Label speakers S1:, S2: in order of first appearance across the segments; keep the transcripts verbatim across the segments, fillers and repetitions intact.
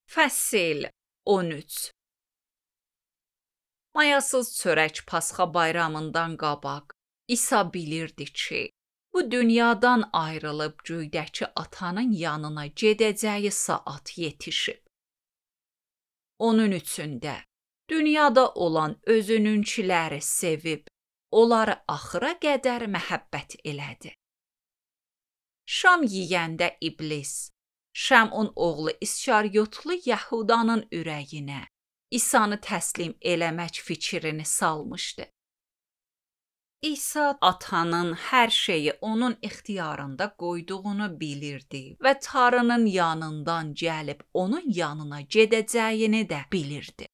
S1: Fəsil on üç. Mayasız çörək Pasxa bayramından qabaq İsa bilirdi ki, bu dünyadan ayrılıb göydəki atanın yanına gedəcəyi saat yetişib. Onun üçün də dünyada olan özününkiləri sevib, onları axıra qədər məhəbbət elədi. Şam yeyəndə iblis, Şəmun oğlu İskariyotlu Yəhudanın ürəyinə İsanı təslim eləmək fikrini salmışdı. İsa atanın hər şeyi onun ixtiyarında qoyduğunu bilirdi və Tanrının yanından gəlib onun yanına gedəcəyini də bilirdi.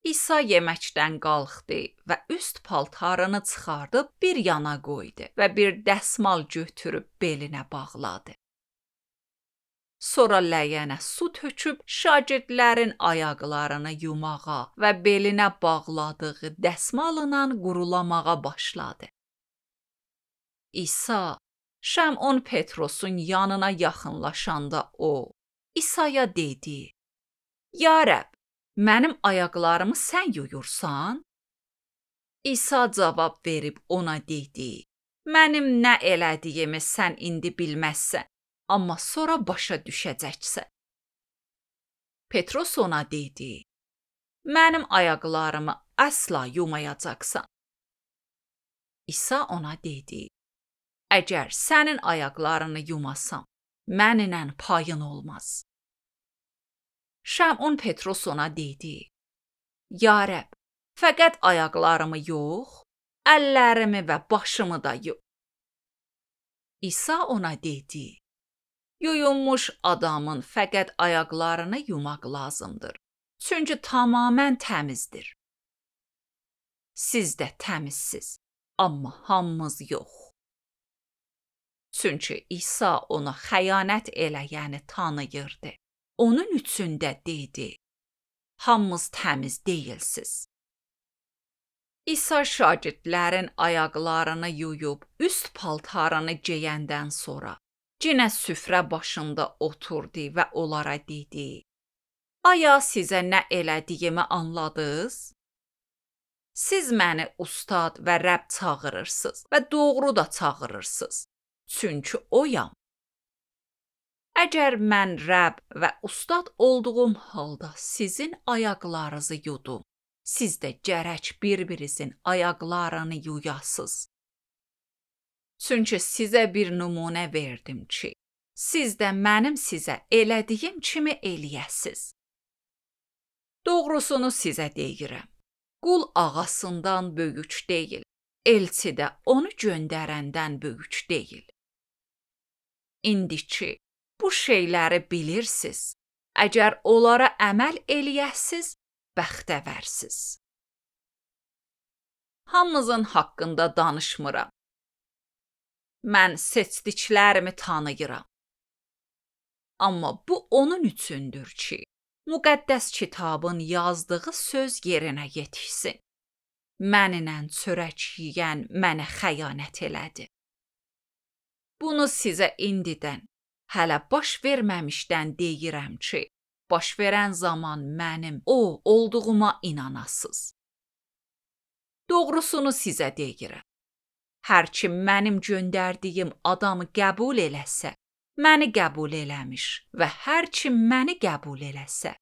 S1: İsa yeməkdən qalxdı və üst paltarını çıxardıb bir yana qoydu və bir dəsmal götürüb belinə bağladı. Sonra ləyənə su töküb şagirdlərin ayaqlarını yumağa və belinə bağladığı dəsmalla qurulamağa başladı. İsa, Şəmun Petrosun yanına yaxınlaşanda o, İsaya dedi: "Ya Rəbb, mənim ayaqlarımı sən yuyursan?" İsa cavab verib ona dedi: "Mənim nə elədiyimi sən indi bilməzsən, amma sonra başa düşəcəksən." Petros ona dedi: "Mənim ayaqlarımı əsla yumayacaqsan." İsa ona dedi: "Əgər sənin ayaqlarını yumasam, mənimlə payın olmaz." Şəmun Petros ona dedi: "Ya Rəbb, fəqət ayaqlarımı yox, əllərimi və başımı da yu." İsa ona dedi: "Yuyulmuş adamın fəqət ayaqlarını yumaq lazımdır, çünki tamamən təmizdir. Siz də təmizsiz, amma hamımız yox." Çünki İsa ona xəyanət eləyəni tanıyırdı. Onun üçün də dedi: "Hamımız təmiz deyilsiz." İsa şagirdlərin ayaqlarını yuyub üst paltarını geyəndən sonra yenə süfrə başında oturdu və onlara dedi: "Aya sizə nə elədiyimi anladınız? Siz məni ustad və Rəbb çağırırsınız və doğru da çağırırsınız, çünki oyam. Əgər mən Rəbb və ustad olduğum halda sizin ayaqlarınızı yudum, siz də gərək bir-birinizin ayaqlarını yuyasınız. Çünki sizə bir nümunə verdim ki, siz də mənim sizə elədiyim kimi eləyəsiz. Doğrusunu sizə deyirəm, qul ağasından böyük deyil, elçi də onu göndərəndən böyük deyil. İndi ki, bu şeyləri bilirsiz, əgər onlara əməl eləyəsiz, bəxtəvərsiz." Hamımızın haqqında danışmıram. Mən seçdiklərimi tanıyıram. Amma bu onun üçündür ki, müqəddəs kitabın yazdığı söz yerinə yetişsin. Mənimlə çörək yeyən mənə xəyanət elədi. Bunu sizə indidən, hələ baş verməmişdən deyirəm ki, baş verən zaman mənim o olduğuma inanasınız. Doğrusunu sizə deyirəm. Hər kim mənim göndərdiyim adamı qəbul eləsə, məni qəbul eləmiş və hər kim məni qəbul eləsə,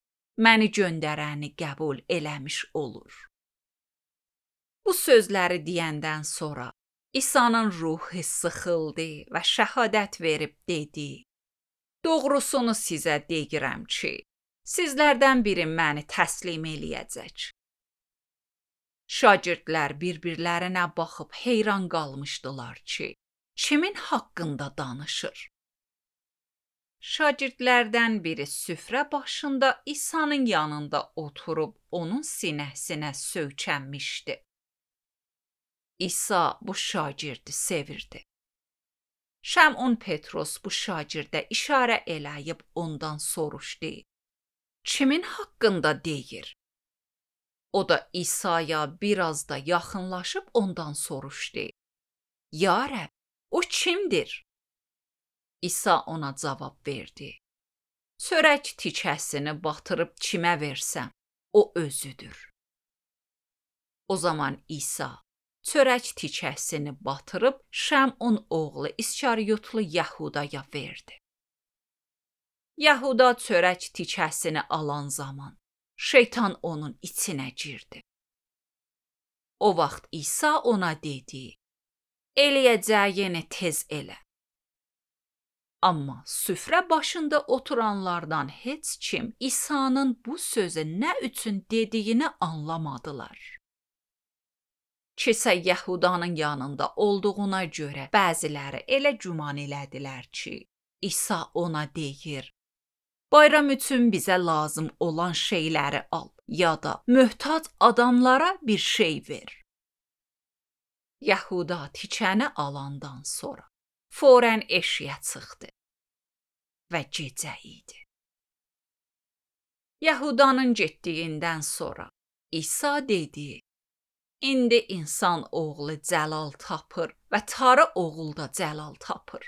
S1: məni göndərəni qəbul eləmiş olur. Bu sözləri deyəndən sonra İsa'nın ruhu sıxıldı və şəhadət verib dedi: "Doğrusunu sizə deyirəm ki, sizlərdən biri məni təslim eləyəcək." Şagirdlər bir-birlərinə baxıb heyran qalmışdılar ki, kimin haqqında danışır? Şagirdlərdən biri süfrə başında İsa'nın yanında oturub onun sinəsinə söykənmişdi. İsa bu şagirdi sevirdi. Şəmun Petros bu şagirdə işarə eləyib ondan soruşdu: "Kimin haqqında deyir?" O da İsa'ya biraz da yaxınlaşıb ondan soruşdu: "Ya Rəbb, o kimdir?" İsa ona cavab verdi: çörək tikəsini batırıb kimə versəm, o özüdür. O zaman İsa çörək tikəsini batırıb Şəmun oğlu İskariyotlu Yəhudaya verdi. Yəhuda çörək tikəsini alan zaman şeytan onun içinə girdi. O vaxt İsa ona dedi: "Eləyəcəyini tez elə." Amma süfrə başında oturanlardan heç kim İsa'nın bu sözü nə üçün dediyini anlamadılar. Kisə Yəhudanın yanında olduğuna görə bəziləri elə güman elədilər ki, İsa ona deyir: "Bayram üçün bizə lazım olan şeyləri al, ya da möhtac adamlara bir şey ver." Yəhuda tikəni alandan sonra forən eşiyə çıxdı və gecə idi. Yəhudanın getdiyindən sonra İsa dedi: "İndi insan oğlu cəlal tapır və tarı oğul da cəlal tapır.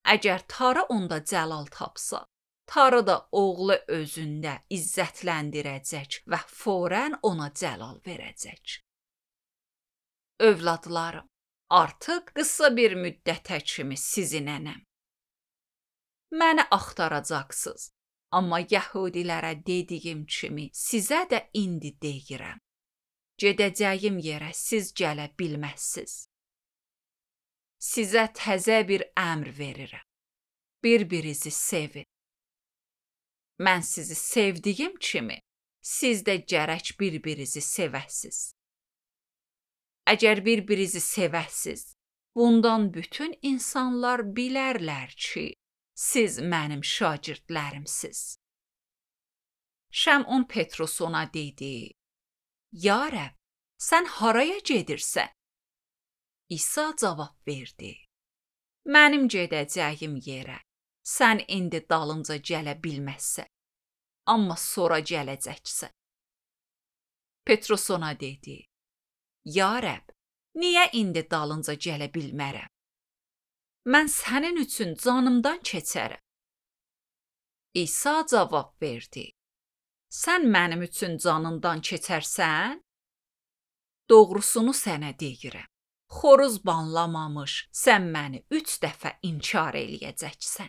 S1: Əgər tarı onda cəlal tapsa, tarı da oğlu özündə izzətləndirəcək və forən ona cəlal verəcək. Övladlarım, artıq qısa bir müddətə kimi sizinənəm. Məni axtaracaqsınız, amma Yəhudilərə dediyim kimi sizə də indi deyirəm. Gedəcəyim yerə siz gələ bilməzsiniz. Sizə təzə bir əmr verirəm. Bir-birinizi sevin. Mən sizi sevdiyim kimi, siz də gərək bir-birinizi sevəsiz. Əgər bir-birinizi sevəsiz, bundan bütün insanlar bilərlər ki, siz mənim şagirdlərimsiz." Şəmun Petrus ona dedi: "Ya Rəbb, sən haraya gedirsən?" İsa cavab verdi: "Mənim gedəcəyim yerə sən indi dalımca gələ bilməzsən, amma sonra gələcəksən." Petrus ona dedi: "Ya Rəbb, niyə indi dalınca gələ bilmərəm? Mən sənin üçün canımdan keçərəm." İsa cavab verdi: "Sən mənim üçün canından keçərsən? Doğrusunu sənə deyirəm. Xoruz banlamamış sən məni üç dəfə inkar eləyəcəksən."